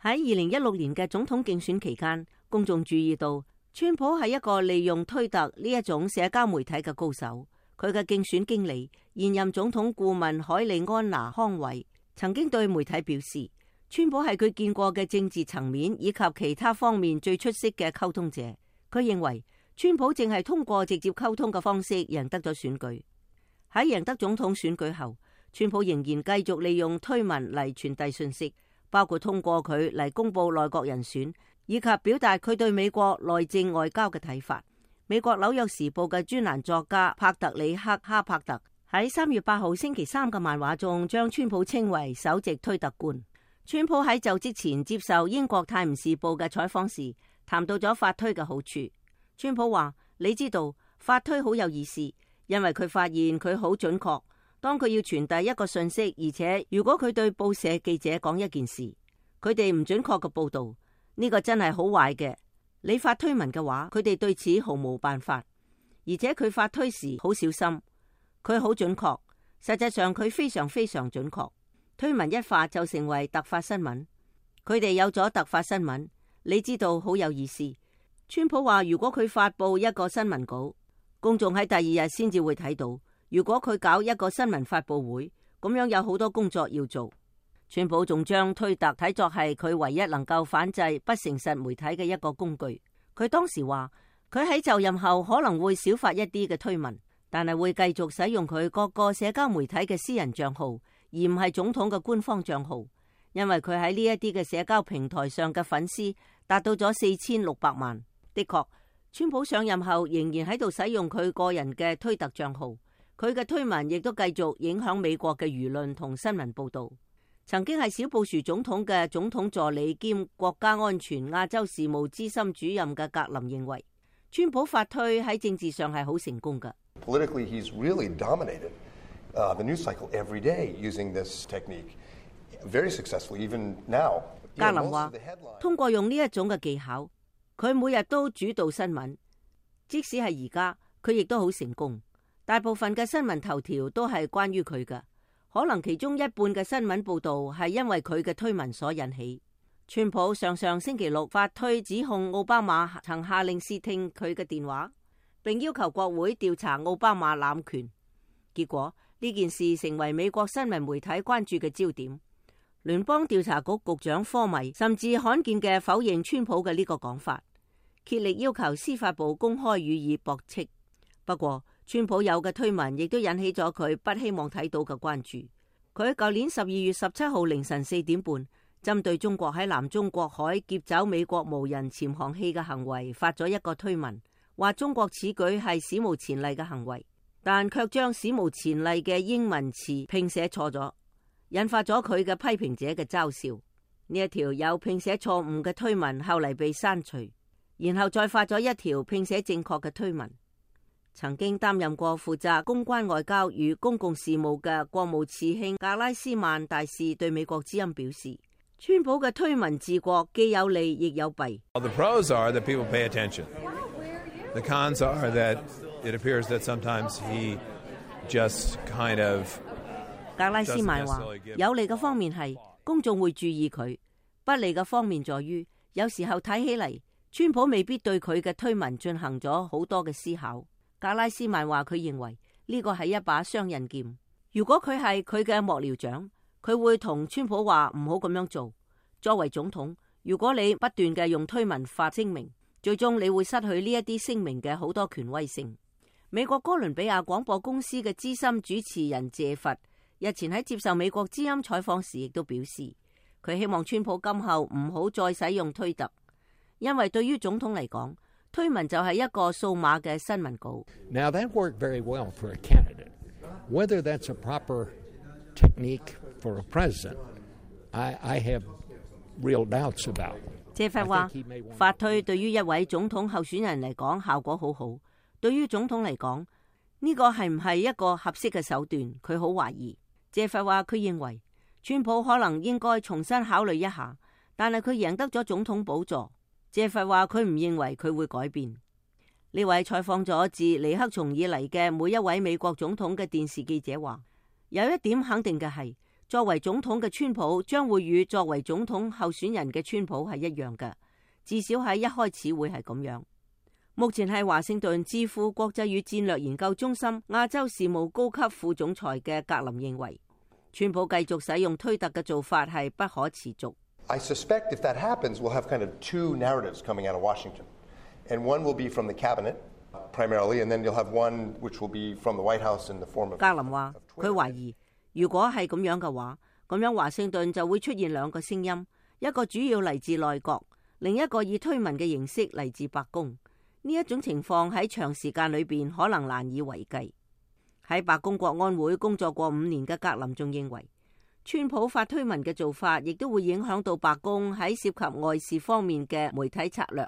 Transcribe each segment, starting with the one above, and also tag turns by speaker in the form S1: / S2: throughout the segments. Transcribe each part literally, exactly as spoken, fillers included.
S1: 喺二零一六年嘅總統競選期間，公眾注意到川普係一個利用推特呢一種社交媒體嘅高手。佢嘅競選經理現任總統顧問海利安娜康維曾經對媒體表示，川普係佢見過嘅政治層面以及其他方面最出色嘅溝通者。佢認為川普正係通過直接溝通嘅方式贏得咗選舉。喺贏得總統選舉後，川普仍然繼續利用推文嚟傳遞信息，包括通過佢嚟公布內閣人選，以及表達佢對美國內政外交嘅睇法。美國紐約時報嘅專欄作家帕特里克哈柏特喺三月八號星期三嘅漫畫中，將川普稱為首席推特官。川普喺就職前接受英國泰晤士報嘅採訪時，談到咗發推嘅好處。川普話：你知道發推好有意思，因為佢發現佢好準確。當佢要傳遞一個信息，而且如果佢對報社記者講一件事，佢哋唔準確嘅報道，呢個真係好壞嘅。你發推文嘅話，佢哋對此毫無辦法。而且佢發推時好小心，佢好準確。實際上佢非常非常準確。推文一發就成為突發新聞。佢哋有咗突發新聞，你知道好有意思。川普話：如果佢發佈一個新聞稿，公眾喺第二日先至會睇到。如果佢搞一個新聞發佈會，咁樣有好多工作要做。川普仲將推特睇作係佢唯一能夠反制不誠實媒體嘅一個工具。佢當時話，佢喺就任後可能會少發一啲嘅推文，但係會繼續使用佢各個社交媒體嘅私人賬號，而唔係總統嘅官方賬號，因為佢喺呢一啲嘅社交平台上嘅粉絲達到咗四千六百萬。的確，川普上任後仍然喺度使用佢個人嘅推特賬號，佢嘅推文亦都繼續影響美國嘅輿論同新聞報道。曾經係小布殊總統嘅總統助理兼國家安全亞洲事務資深主任嘅格林認為，川普發推喺政治上係好成功嘅。
S2: Politically, he's really dominated uh, the news cycle every day using this technique, very successffully even now.
S1: 格林話，通過用呢一種嘅技巧，佢每日都主導新聞，即使係而家，佢亦都好成功。大部分嘅新聞頭條都係關於佢嘅。可能其中一半嘅新聞報道係因為佢嘅推文所引起。川普上上星期六發推指控奧巴馬曾下令竊聽佢嘅電話，並要求國會調查奧巴馬濫權。結果呢件事成為美國新聞媒體關注嘅焦點。聯邦調查局局長科米甚至罕見嘅否認川普嘅呢個講法，竭力要求司法部公開予以駁斥。不過，川普有嘅推文亦都引起咗佢不希望睇到嘅關注。佢喺舊年十二月十七號凌晨四點半，針對中國喺南中國海劫走美國無人潛航器嘅行為發咗一個推文，話中國此舉係史無前例嘅行為，但卻將史無前例嘅英文詞拼寫錯咗，引發咗佢嘅批評者嘅嘲笑。呢一條有拼寫錯誤嘅推文後嚟被刪除，然後再發咗一條拼寫正確嘅推文。曾經擔任過負責公關外交與公共事務嘅國務次卿格拉斯曼大使對美國之音表示，川普嘅推文治國既有利亦有弊。
S3: The pros are that people pay attention. The cons are that it appears that sometimes he just kind of
S1: 格拉斯曼話，有利嘅方面係公眾會注意佢，不利嘅方面在於有時候睇起嚟，川普未必對佢嘅推文進行咗好多嘅思考。格拉斯曼話，佢認為呢個係一把雙刃劍。如果佢係佢嘅幕僚長，佢會同川普話唔好咁樣做。作為總統，如果你不斷嘅用推文發聲明，最終你會失去呢一啲聲明嘅好多權威性。美國哥倫比亞廣播公司嘅資深主持人謝佛日前喺接受美國之音採訪時，亦都表示佢希望川普今後唔好再使用推特，因為對於總統嚟講，推文就係一個數碼嘅新聞稿。
S4: Now that worked very well for a candidate. Whether that's a proper technique for a president, I, I have real doubts about.
S1: 謝佛話，發推對於一位總統候選人嚟講效果好好，對於總統嚟講呢個係唔係一個合適嘅手段，佢好懷疑。謝佛話，佢認為川普可能應該重新考慮一下，但係佢贏得咗總統寶座。謝佛話佢唔認為佢會改變。呢位採訪咗自尼克松以嚟嘅每一位美國總統嘅電視記者話，有一點肯定嘅係，作為總統嘅川普將會與作為總統候選人嘅川普係一樣嘅，至少喺一開始會係咁樣。目前係華盛頓智庫國際與戰略研究中心亞洲事務高級副總裁嘅格林認為，川普繼續使用推特嘅做法係不可持續。
S2: I suspect if that happens, we'll have kind of two narratives coming out of Washington, and one will be from the cabinet primarily, and then you'll have one which will be from the White House in the form of.
S1: 格林話，佢懷疑如果係咁樣嘅話，咁樣華盛頓就會出現兩個聲音，一個主要嚟自內閣，另一個以推文嘅形式嚟自白宮。呢一種情況喺長時間裏邊可能難以為繼。喺白宮國安會工作過五年嘅格林仲認為，川普發推文嘅做法亦都會影響到白宮喺涉及外事方面嘅媒體策略。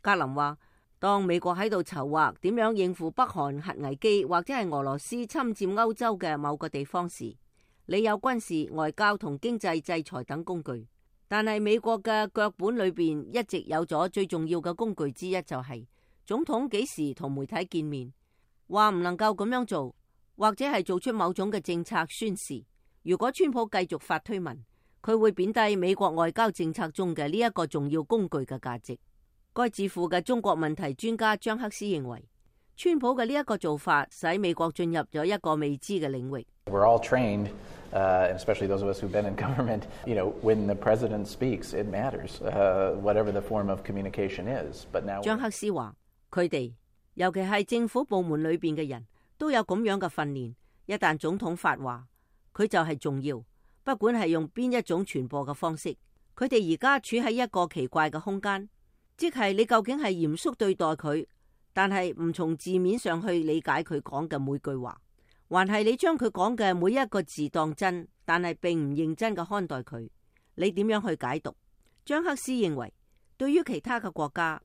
S1: 格林話，當美國喺度籌劃點樣應付北韓核危機或者係俄羅斯侵佔歐洲嘅某個地方時，你有軍事、外交同經濟制裁等工具，但係美國嘅腳本裏邊一直有咗最重要嘅工具之一，就係總統幾時同媒體見面，話唔能夠咁樣做，或者係做出某種嘅政策宣示。如果川普繼續發推文，佢會貶低美國外交政策中嘅呢一個重要工具嘅價值。該智庫嘅中國問題專家張克斯認為，川普嘅呢一個做法使美國進入咗一個未知嘅領域。
S5: We're all trained, uh, especially those of us who've been in government, you know, when the president speaks, it matters, uh, whatever the form of communication is. But now
S1: 張克斯話，佢哋尤其係政府部門裏邊嘅人都有咁樣嘅訓練，一旦總統發話，佢就係重要，不管係用邊一種傳播嘅方式。佢哋而家處喺一個奇怪嘅空間。即係你究竟係嚴肅對待佢，但係唔從字面上去理解佢講嘅每句話，還係你將佢講嘅每一個字當真，但係並唔認真嘅看待佢，你點樣去解讀？張克斯認為，對於其他嘅國家，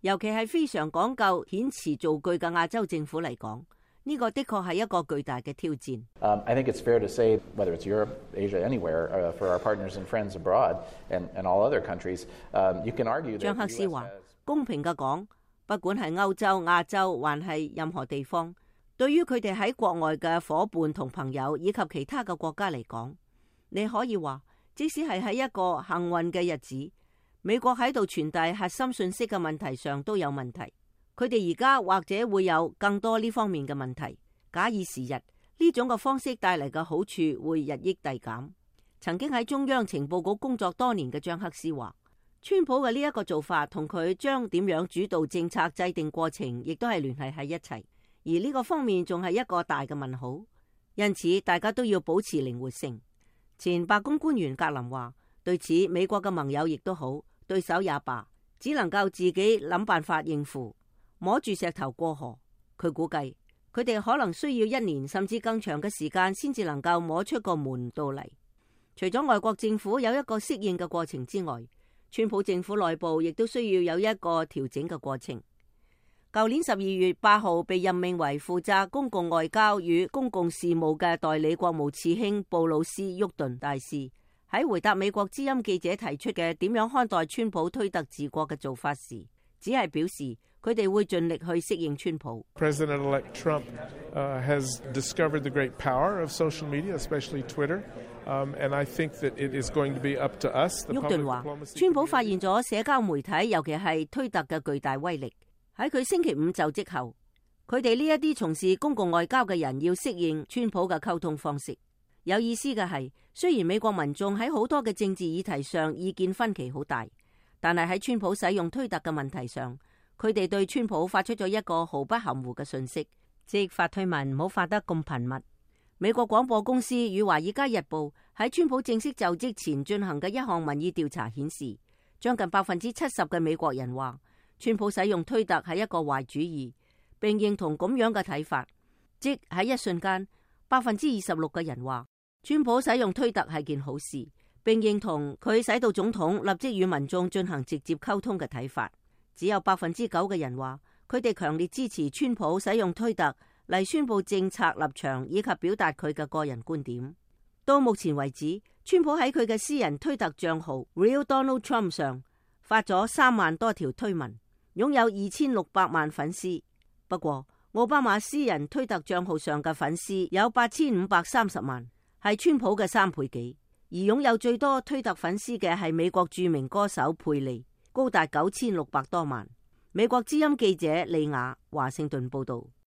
S1: 尤其係非常講究遣詞造句嘅亞洲政府嚟講，呢個的確係一個巨大嘅挑戰。
S5: Um, I think it's fair to say, whether it's Europe, Asia, anywhere, uh, for our partners and friends abroad, and, and all other countries, um, you can argue that
S1: 張克斯話，公平嘅講，不管係歐洲、亞洲，還係任何地方，對於佢哋喺國外嘅伙伴同朋友以及其他嘅國家嚟講，你可以話，即使係喺一個幸運嘅日子，美國喺度傳遞核心信息嘅問題上都有問題。佢哋而家或者會有更多呢方面嘅問題。假以時日，呢種嘅方式帶嚟嘅好處會日益遞減。曾經喺中央情報局工作多年嘅張克斯話，川普嘅呢一個做法同佢將點樣主導政策制定過程，亦都係聯繫喺一齊。而呢個方面仲係一個大嘅問號。因此，大家都要保持靈活性。前白宮官員格林話，對此美國嘅盟友亦都好，對手也罷，只能夠自己諗辦法應付。摸住石頭過河，佢估計佢哋可能需要一年甚至更長嘅時間先至能夠摸出個門道嚟。除咗外國政府有一個適應嘅過程之外，川普政府內部亦都需要有一個調整嘅過程。舊年十二月八號被任命為負責公共外交與公共事務嘅代理國務次卿布魯斯·沃頓大使喺回答美國之音記者提出嘅點樣看待川普推特治國嘅做法時，只係表示佢哋會盡力去適應川普。
S6: President-elect Trump uh, has discovered the great power of social media, especially Twitter, um, and I think that it is going to be up to us.
S1: 沃頓話，川普發現咗社交媒體，尤其係推特嘅巨大威力。喺佢星期五就職後，佢哋呢一啲從事公共外交嘅人要適應川普嘅溝通方式。有意思嘅係，雖然美國民眾喺好多嘅政治議題上意見分歧好大，但係喺川普使用推特嘅問題上，佢哋對川普發出咗一個毫不含糊嘅訊息，即發推文唔好發得咁頻密。美國廣播公司與華爾街日報喺川普正式就職前進行嘅一項民意調查顯示，將近百分之七十嘅美國人話川普使用推特係一個壞主意，並認同咁樣嘅睇法。即喺一瞬間，百分之二十六嘅人話川普使用推特係件好事，並認同佢使到總統立即與民眾進行直接溝通嘅睇法。只有百分之九嘅人話佢哋強烈支持川普使用推特嚟宣布政策立場以及表達佢嘅個人觀點。到目前為止，川普喺佢嘅私人推特賬號 Real Donald Trump 上發咗三萬多條推文，擁有二千六百萬粉絲。不過，奧巴馬私人推特賬號上嘅粉絲有八千五百三十萬，係川普嘅三倍幾。而擁有最多推特粉絲嘅係美國著名歌手佩利，高達九千六百多萬。美國之音記者利亞華盛頓報道。